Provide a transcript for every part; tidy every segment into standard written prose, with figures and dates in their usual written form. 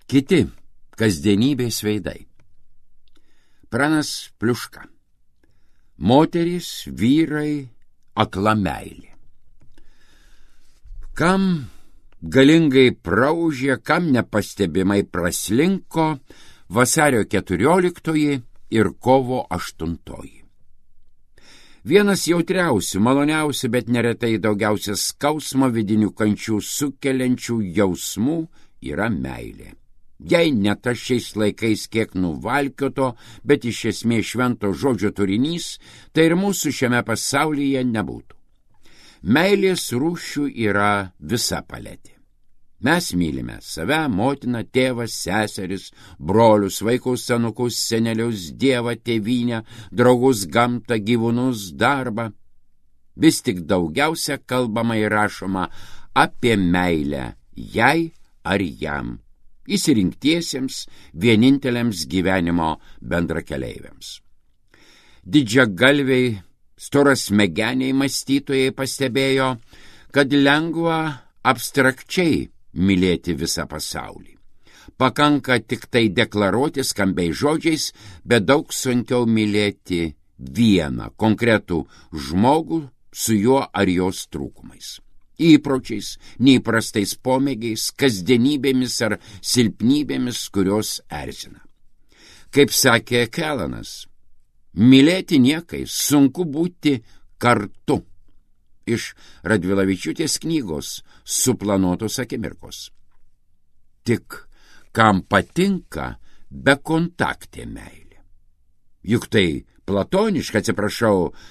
Kiti kasdienybės veidai. Pranas Pliuška. Moterys, vyrai, akla meilė. Kam galingai praužė, kam nepastebimai praslinko vasario 14 ir kovo 8. Vienas jautriausių, maloniausių, bet neretai daugiausia skausmo vidinių kančių sukeliančių jausmų yra meilė. Jei ne tas šiais laikais kiek nuvalkioto, bet iš esmės švento žodžio turinys, tai ir mūsų šiame pasaulyje nebūtų. Meilės rūšių yra visa paletė. Mes mylime save, motiną, tėvą, seseris, brolius, vaikus, senukus, senelius, dievą, tėvynę, draugus, gamtą, gyvūnus, darbą. Vis tik daugiausia kalbama ir rašoma apie meilę jai ar jam, išsirinktiesiems, vieninteliams gyvenimo bendrakeleiviams. Didžiagalviai, storasmegeniai mąstytojai pastebėjo, kad lengva abstrakčiai mylėti visą pasaulį. Pakanka tik tai deklaruoti skambiais žodžiais, bet daug sunkiau mylėti vieną konkretų žmogų su juo ar jos trūkumais. Įpročiais, neįprastais pomėgiais, kasdienybėmis ar silpnybėmis, kurios erzina. Kaip sakė Kelanas, mylėti niekais, sunku būti kartu. Iš Radvilavičiūtės knygos Suplanuotos akimirkos. Tik kam patinka bekontaktė meilė. Juk tai platoniška,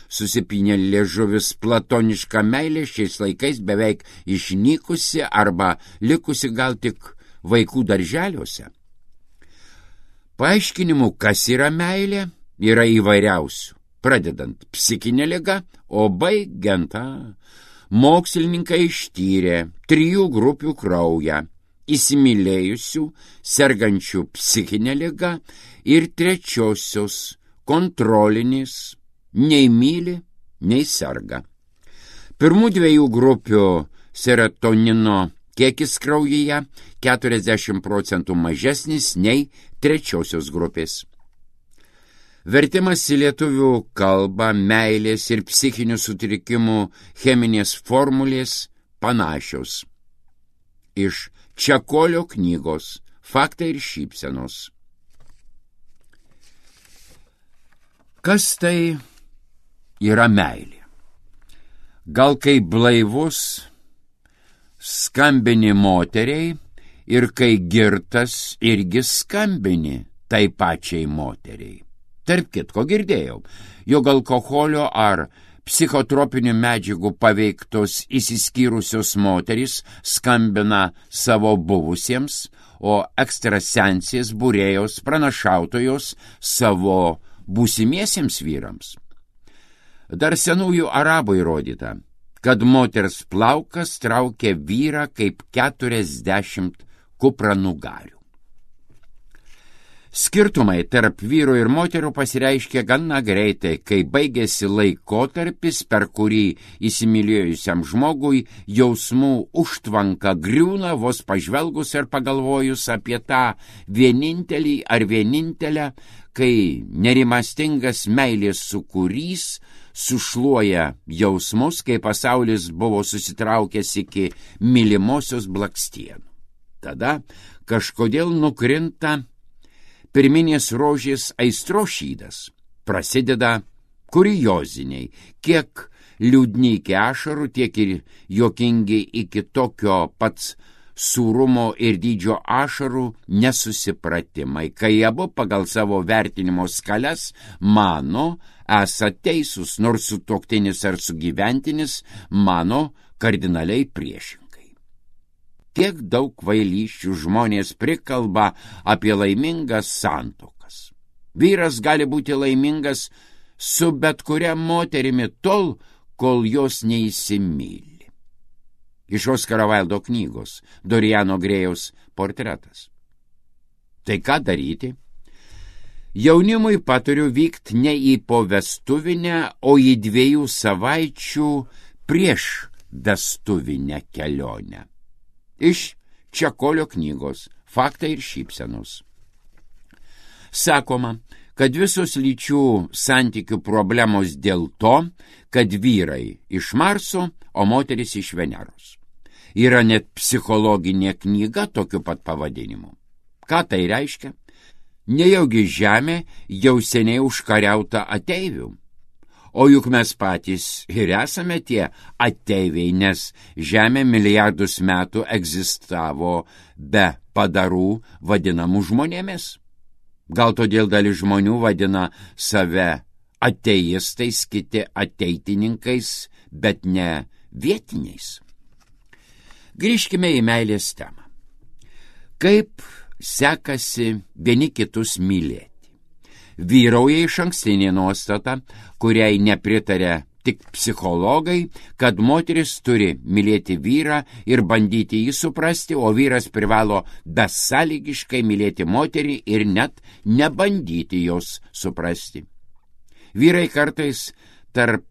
susipynė liežuvis, platoniška meilė šiais laikais beveik išnykusi arba likusi gal tik vaikų darželiuose. Paaiškinimų, kas yra meilė, yra įvairiausių, pradedant psichinė liga, o baigiant mokslininkai ištyrė 3 grupių kraują, įsimylėjusių, sergančių psichinė liga ir 3 kontrolinis, nei myli, nei serga. Pirmų 2 grupių serotonino kiekis kraujyje 40% mažesnis nei 3 grupės. Vertimas į lietuvių kalbą, meilės ir psichinių sutrikimų cheminės formulės panašios. Iš Čekolio knygos Faktai ir šypsenos. Kas tai yra meilė? Gal kai blaivus skambini moteriai ir kai girtas irgi skambini tai pačiai moteriai. Tarp kitko girdėjau, jog alkoholio ar psichotropinių medžiagų paveiktos išsiskyrusios moterys skambina savo buvusiems, o ekstrasensės būrėjos pranašautojos savo būsimiesiems vyrams. Dar senųjų arabų įrodyta, kad moters plaukas traukia vyrą kaip 40 kupranugarių. Skirtumai tarp vyrų ir moterų pasireiškia gana greitai, kai baigėsi laikotarpis, per kurį įsimylėjusiam žmogui jausmų užtvanka griūna vos pažvelgus ir pagalvojus apie tą vienintelį ar vienintelę, kai nerimastingas meilės sūkurys sušluoja jausmus, kai pasaulis buvo susitraukęs iki mylimosios blakstienų. Tada kažkodėl nukrinta pirminės rožės aistros šydas. Prasideda kurioziniai, kiek liūdni iki ašarų, tiek ir juokingi iki tokio pats sūrumo ir dydžio ašarų nesusipratimai, kai abu pagal savo vertinimo skales mano esą teisūs, nors sutuoktinis ar sugyventinis mano kardinaliai priešingai. Tiek daug kvailysčių žmonės prikalba apie laimingas santuokas. Vyras gali būti laimingas su bet kuria moterimi tol, kol jos neįsimyli. Iš Oskaro Vaildo knygos Doriano Grėjaus portretas. Tai ką daryti? Jaunimui patariu vykti ne į povestuvinę, o į 2 savaičių prieš vestuvinę kelionę. Iš Čekolio knygos faktai ir šypsenos. Sakoma, kad visos lyčių santykių problemos dėl to, kad vyrai iš Marso, o moteris iš Veneros. Yra net psichologinė knyga tokiu pat pavadinimu. Ką tai reiškia? Nejaugi Žemė jau seniai užkariauta ateivių. O juk mes patys ir esame tie ateiviai, nes Žemė milijardus metų egzistavo be padarų vadinamų žmonėmis. Gal todėl dalis žmonių vadina save ateistais, kiti ateitininkais, bet ne vietiniais. Grįžkime į meilės temą. Kaip sekasi vieni kitus mylėti? Vyrauja išankstinė nuostata, kuriai nepritarė tik psichologai, kad moteris turi mylėti vyrą ir bandyti jį suprasti, o vyras privalo besąlygiškai mylėti moterį ir net nebandyti jos suprasti. Vyrai kartais tarp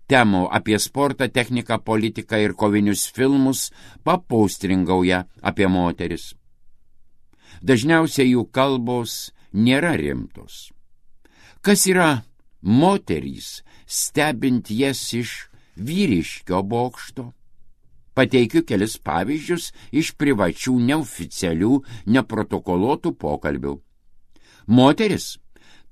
temų apie sportą, techniką, politiką ir kovinius filmus papaustringauja apie moteris. Dažniausiai jų kalbos nėra rimtos. Kas yra moterys, stebint jas iš vyriškio bokšto? Pateikiu kelis pavyzdžius iš privačių, neoficialių, neprotokoluotų pokalbių. Moteris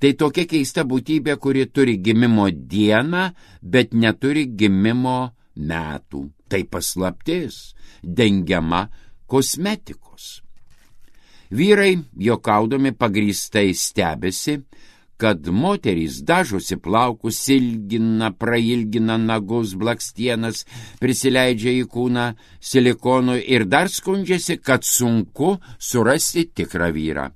tai tokia keista būtybė, kuri turi gimimo dieną, bet neturi gimimo metų. Tai paslaptis, dengiama kosmetikos. Vyrai, juokaudami, pagrįstai stebisi, kad moterys dažosi plaukus, ilgina, prailgina nagus, blakstienas, prisileidžia į kūną silikonų ir dar skundžiasi, kad sunku surasti tikrą vyrą.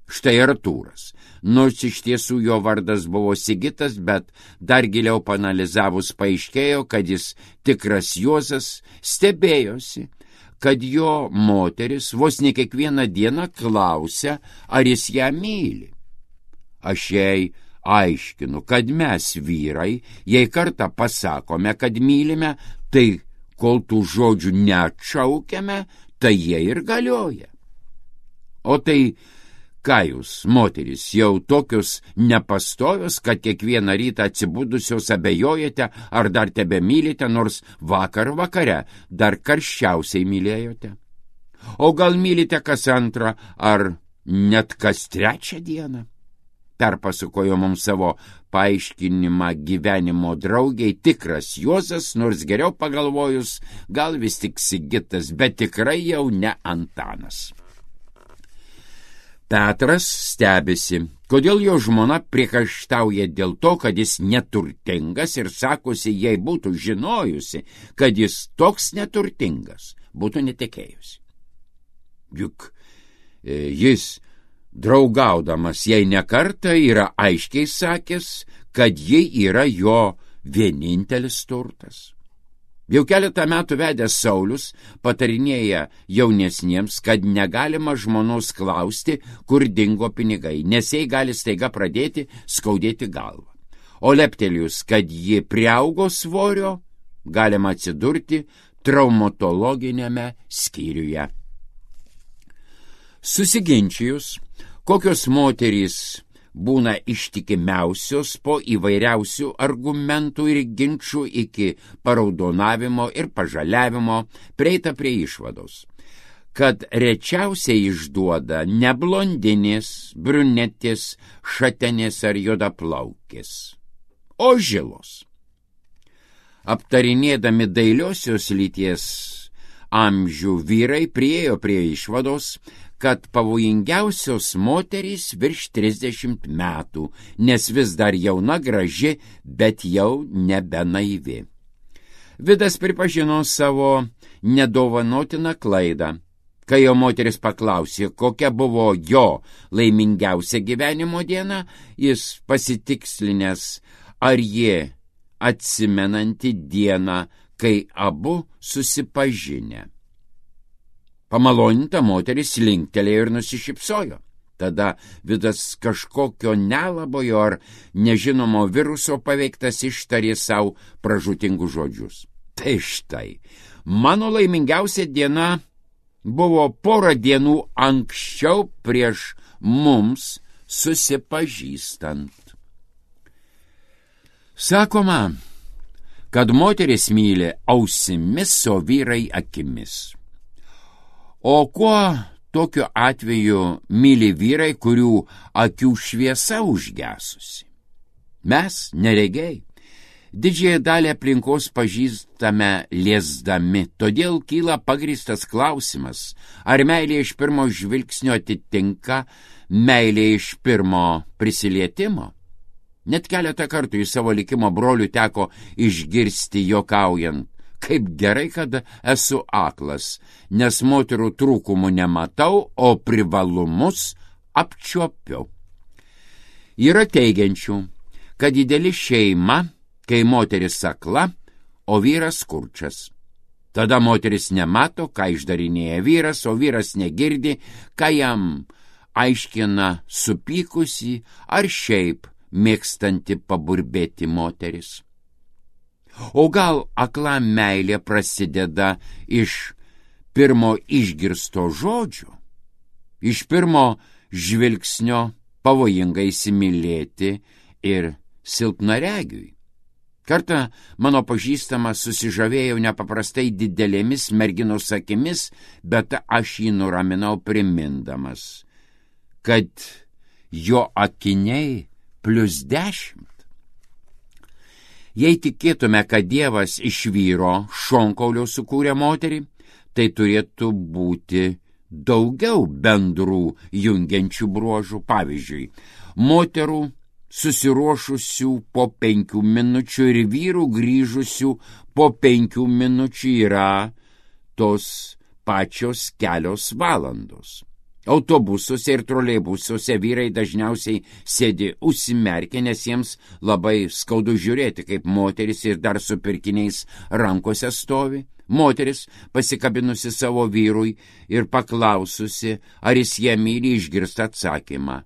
Štai Artūras. Nors iš tiesų jo vardas buvo Sigitas, bet dar giliau paanalizavus paaiškėjo, kad jis tikras Juozas, stebėjosi, kad jo moteris vos ne kiekvieną dieną klausia, ar jis ją myli. Aš jai aiškinu, kad mes vyrai, jei kartą pasakome, kad mylime, tai kol tų žodžių neatšaukiame, tai jie ir galioja. O tai ką jūs, moterys, jau tokios nepastovios, kad kiekvieną rytą atsibudusios abejojate, ar dar tebe mylite, nors vakar vakare dar karščiausiai mylėjote? O gal mylite kas antrą, ar net kas trečią dieną? Perpasakojo mums savo paaiškinimą gyvenimo draugiai tikras Juozas, nors geriau pagalvojus, gal vis tik Sigitas, bet tikrai jau ne Antanas. Petras stebisi, kodėl jo žmona priekaištauja dėl to, kad jis neturtingas ir sakosi, jei būtų žinojusi, kad jis toks neturtingas, būtų netekėjusi. Juk jis, draugaudamas jai nekartą, yra aiškiai sakęs, kad ji yra jo vienintelis turtas. Jau keletą metų vedęs Saulius patarinėja jaunesniems, kad negalima žmonos klausti, kur dingo pinigai, nes jai gali staiga pradėti skaudėti galvą. O leptelius, kad ji priaugo svorio, galima atsidurti traumatologinėme skyriuje. Susiginčijus, kokios moterys būna ištikimiausios po įvairiausių argumentų ir ginčių iki paraudonavimo ir pažaliavimo, prieita prie išvados, kad rečiausiai išduoda ne blondinės, brunetės, šatenės ar juodaplaukės, o žilos. Aptarinėdami dailiosios lyties amžių, vyrai priėjo prie išvados, kad pavojingiausios moterys virš 30 metų, nes vis dar jauna, graži, bet jau nebe naivi. Vidas pripažino savo nedovanotiną klaidą, kai jo moteris paklausė, kokia buvo jo laimingiausia gyvenimo diena, jis pasitikslinęs, ar ji atsimenanti dieną, kai abu susipažinę. Pamaloninta moteris linktelėjo ir nusišypsojo. Tada Vidas kažkokio nelabojo ar nežinomo viruso paveiktas ištarė savo pražūtingus žodžius. Tai štai, mano laimingiausia diena buvo porą dienų anksčiau prieš mums susipažįstant. Sakoma, kad moteris myli ausimis, o vyrai akimis. O kuo tokiu atveju myli vyrai, kurių akių šviesa užgesusi? Mes, neregiai, didžiąją dalį aplinkos pažįstame liesdami, todėl kyla pagrįstas klausimas, ar meilė iš pirmo žvilgsnio atitinka meilė iš pirmo prisilietimo. Net keletą kartų į savo likimo brolių teko išgirsti juokaujant, kaip gerai, kad esu aklas, nes moterų trūkumų nematau, o privalumus apčiuopiu. Yra teigiančių, kad ideali šeima, kai moteris akla, o vyras kurčias. Tada moteris nemato, ką išdarinėja vyras, o vyras negirdi, ką jam aiškina supykusi ar šiaip mėgstanti paburbėti moteris. O gal akla meilė prasideda iš pirmo išgirsto žodžio, iš pirmo žvilgsnio pavojinga įsimylėti ir silpnaregiui. Kartą mano pažįstamas susižavėjau nepaprastai didelėmis merginos akimis, bet aš jį nuraminau primindamas, kad jo akiniai +10. Jei tikėtume, kad Dievas iš vyro šonkaulio sukūrė moterį, tai turėtų būti daugiau bendrų jungiančių bruožų. Pavyzdžiui, moterų susiruošusių po 5 minučių ir vyrų grįžusių po 5 minučių yra tos pačios kelios valandos. Autobusuose ir troleibusuose vyrai dažniausiai sėdi užsimerkę, nes jiems labai skaudu žiūrėti, kaip moteris ir dar su pirkiniais rankose stovi. Moteris, pasikabinusi savo vyrui ir paklaususi, ar jis ją myli, išgirsta atsakymą: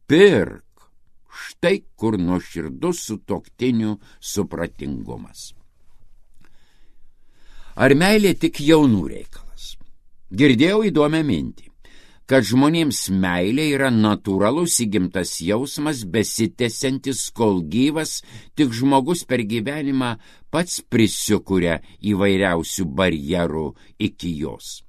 pirk, štai kur nuoširdus sutuoktinių supratingumas. Ar meilė tik jaunų reikalas? Girdėjau įdomią mintį, kad žmonėms meilė yra natūralus įgimtas jausmas, besitęsiantis kol gyvas, tik žmogus per gyvenimą pats prisikuria įvairiausių barjerų iki jos.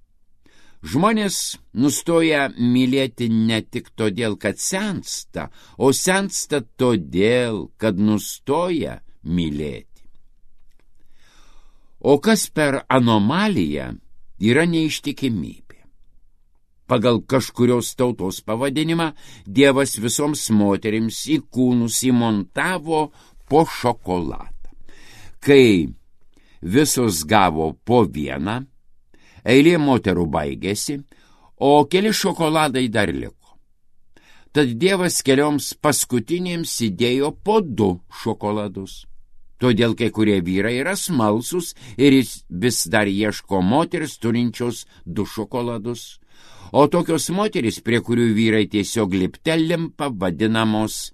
Žmonės nustoja mylėti ne tik todėl, kad sensta, o sensta todėl, kad nustoja mylėti. O kas per anomaliją yra neištikimybė? Pagal kažkurios tautos pavadinimą Dievas visoms moterims į kūnus įmontavo po šokoladą. Kai visos gavo po vieną, eilė moterų baigėsi, o keli šokoladai dar liko. Tad Dievas kelioms paskutinėms įdėjo po 2 šokoladus. Todėl kai kurie vyrai yra smalsūs ir jis vis dar ieško moteris turinčios 2 šokoladus. O tokios moterys, prie kurių vyrai tiesiog liptelimpa, vadinamos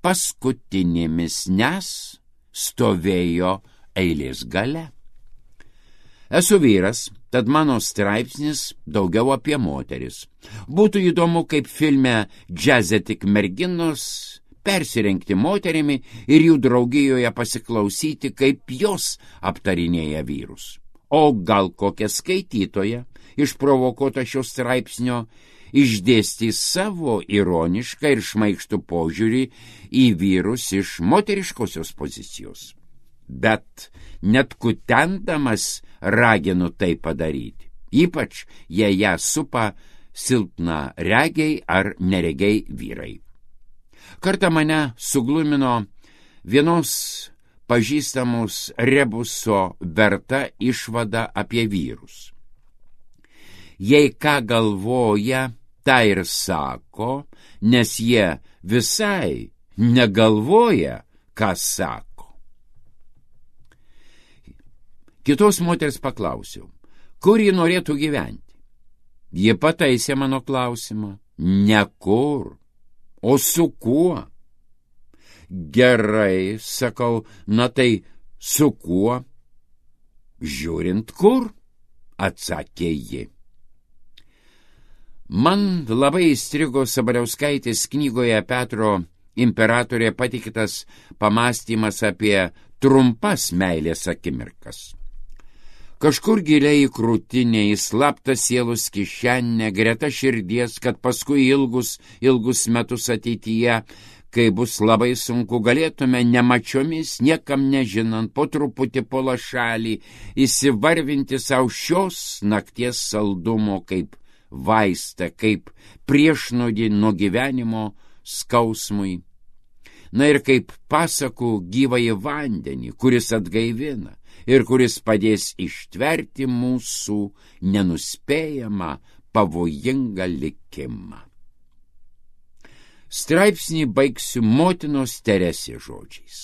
paskutinėmis, nes stovėjo eilės gale. Esu vyras, tad mano straipsnis daugiau apie moteris. Būtų įdomu, kaip filme Džiaze tik merginos persirengti moterimi ir jų draugijoje pasiklausyti, kaip jos aptarinėja vyrus. O gal kokia skaitytoja, išprovokuota šio straipsnio, išdėstys savo ironišką ir šmaikštų požiūrį į vyrus iš moteriškosios pozicijos. Bet net kutendamas raginu tai padaryti, ypač jei ją supa silpna regiai ar neregiai vyrai. Kartą mane suglumino vienos pažįstamos rebuso verta išvada apie vyrus. Jei ką galvoja, tą ir sako, nes jie visai negalvoja, ką sako. Kitos moters paklausiau, kur ji norėtų gyventi. Ji pataisė mano klausimą. Ne kur, o su kuo. Gerai, sakau, na tai su kuo? Žiūrint kur, atsakė ji. Man labai įstrigo Sabaliauskaitės knygoje Petro imperatorė patikėtas pamąstymas apie trumpas meilės akimirkas. Kažkur giliai į krūtinę, į slaptą sielos kišenę, greta širdies, kad paskui ilgus metus ateityje, kai bus labai sunku, galėtume nemačiomis, niekam nežinant, po truputį po lašalį, įsivarvinti savo šios nakties saldumo kaip vaistą, kaip priešnodį nuo gyvenimo skausmui. Na ir kaip pasakų gyvąjį vandenį, kuris atgaivina ir kuris padės ištverti mūsų nenuspėjamą, pavojingą likimą. Straipsnį baigsiu motinos Teresės žodžiais.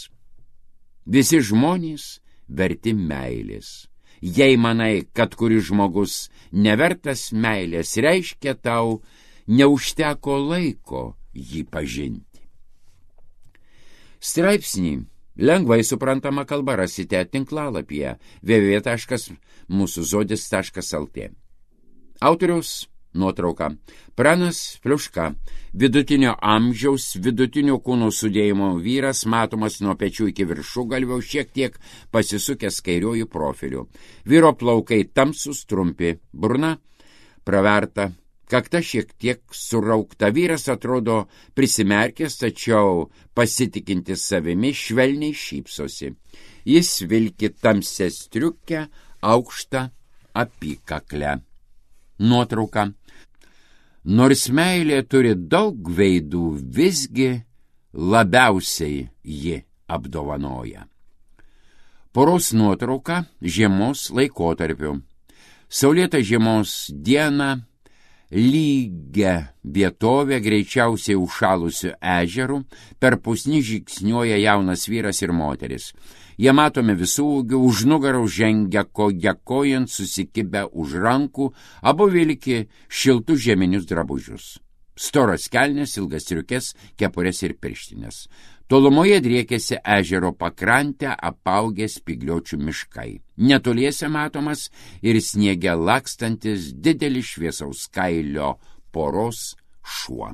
Visi žmonės verti meilės. Jei manai, kad kuris žmogus nevertas meilės, reiškia tau neužteko laiko jį pažinti. Straipsnį lengvai suprantama kalba rasite tinklalapyje www.musuzodis.lt. Autoriaus nuotrauka. Pranas Pliuška, vidutinio amžiaus, vidutinio kūno sudėjimo vyras, matomas nuo pečių iki viršugalvio, šiek tiek pasisukęs kairiuoju profiliu. Vyro plaukai tamsus, trumpi, burna praverta, kakta šiek tiek suraukta. Vyras atrodo prisimerkęs, tačiau pasitikintis savimi, švelniai šypsosi. Jis vilki tamsią striukę, aukštą apykaklę. Nuotrauka. Nors meilė turi daug veidų, visgi labiausiai ji apdovanoja. Poros nuotrauka žiemos laikotarpiu. Saulėta žiemos diena, lygia vietovė, greičiausiai užšalusių ežerų, per pusnį žingsniuoja jaunas vyras ir moteris. Jie matomi visų ūgių, už nugarų žengia koja kojant, susikibę už rankų, abu vilki šiltus žieminius drabužius. Storas kelnes, ilgas striukes, kepurės ir pirštinės. Tolumoje driekėsi ežero pakrantę, apaugę spygliuočių miškai. Netoliese matomas ir sniege lakstantis didelis šviesaus kailio poros šuo.